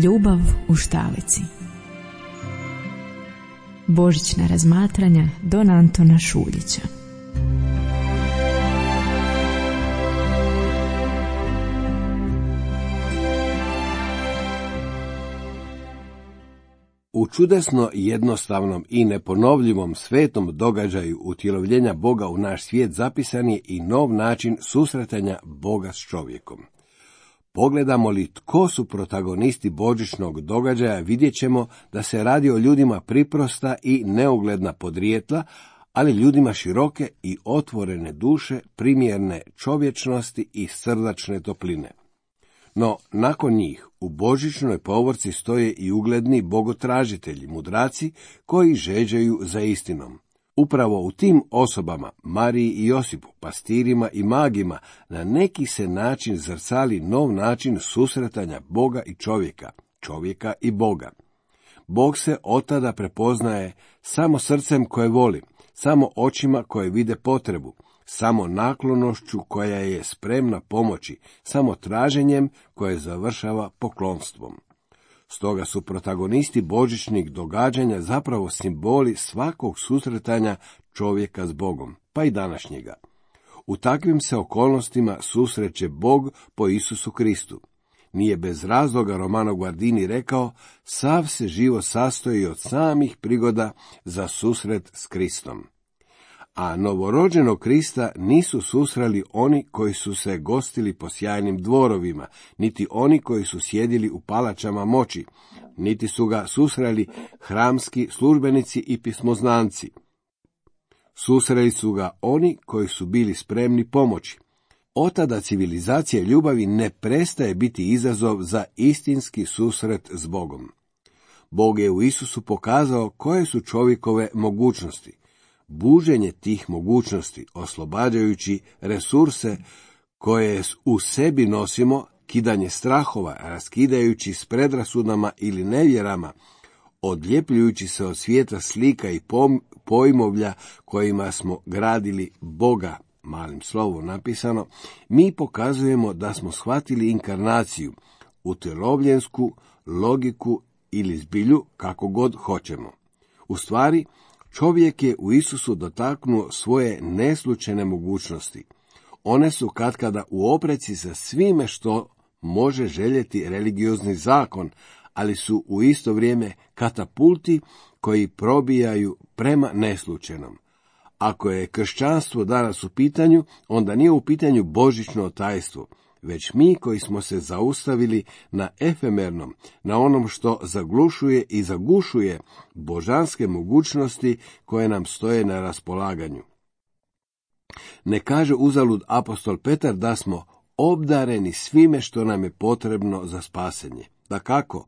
Ljubav u štalici. Božićna razmatranja Don Antona Šuljića. U čudesno jednostavnom i neponovljivom svetom događaju utjelovljenja Boga u naš svijet zapisan je i nov način susretanja Boga s čovjekom. Pogledamo li tko su protagonisti božićnog događaja, vidjet ćemo da se radi o ljudima priprosta i neugledna podrijetla, ali ljudima široke i otvorene duše, primjerne čovječnosti i srdačne topline. No, nakon njih, u božićnoj povorci stoje i ugledni bogotražitelji, mudraci, koji žeđaju za istinom. Upravo u tim osobama, Mariji i Josipu, pastirima i magima, na neki se način zrcali nov način susretanja Boga i čovjeka, čovjeka i Boga. Bog se otada prepoznaje samo srcem koje voli, samo očima koje vide potrebu, samo naklonošću koja je spremna pomoći, samo traženjem koje završava poklonstvom. Stoga su protagonisti božićnih događanja zapravo simboli svakog susretanja čovjeka s Bogom, pa i današnjega. U takvim se okolnostima susreće Bog po Isusu Kristu. Nije bez razloga Romano Guardini rekao, sav se život sastoji od samih prigoda za susret s Kristom. A novorođenog Krista nisu susreli oni koji su se gostili po sjajnim dvorovima, niti oni koji su sjedili u palačama moći, niti su ga susreli hramski službenici i pismoznanci. Susreli su ga oni koji su bili spremni pomoći. Otada civilizacija ljubavi ne prestaje biti izazov za istinski susret s Bogom. Bog je u Isusu pokazao koje su čovjekove mogućnosti. Buženje tih mogućnosti, oslobađajući resurse koje u sebi nosimo, kidanje strahova, raskidajući s predrasudama ili nevjerama, odljepljujući se od svijeta slika i pojmovlja kojima smo gradili Boga, malim slovom napisano, mi pokazujemo da smo shvatili inkarnaciju, utjelovljensku logiku ili zbilju, kako god hoćemo. U stvari, čovjek je u Isusu dotaknuo svoje neslučajne mogućnosti. One su katkada u opreci sa svime što može željeti religiozni zakon, ali su u isto vrijeme katapulti koji probijaju prema neslučajnom. Ako je kršćanstvo danas u pitanju, onda nije u pitanju božićno tajstvo, već mi koji smo se zaustavili na efemernom, na onom što zaglušuje i zagušuje božanske mogućnosti koje nam stoje na raspolaganju. Ne kaže uzalud apostol Petar da smo obdareni svime što nam je potrebno za spasenje. Dakako,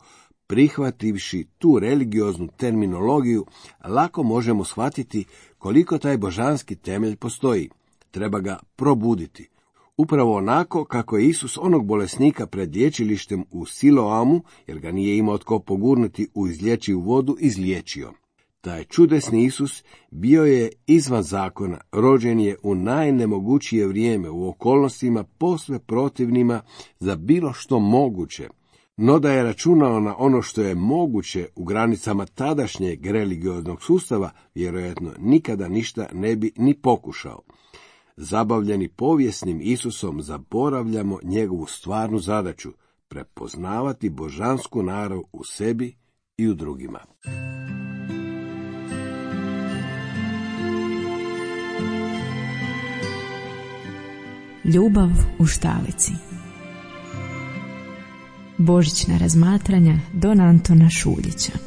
prihvativši tu religioznu terminologiju, lako možemo shvatiti koliko taj božanski temelj postoji. Treba ga probuditi. Upravo onako kako je Isus onog bolesnika pred liječilištem u Siloamu, jer ga nije imao tko pogurnuti u izlječivu vodu, izliječio. Taj čudesni Isus bio je izvan zakona, rođen je u najnemogućije vrijeme, u okolnostima posve protivnima za bilo što moguće. No da je računao na ono što je moguće u granicama tadašnjeg religioznog sustava, vjerojatno nikada ništa ne bi ni pokušao. Zabavljeni povijesnim Isusom zaboravljamo njegovu stvarnu zadaću, prepoznavati božansku narav u sebi i u drugima. Ljubav u štalici. Božićna razmatranja Don Antona Šuljića.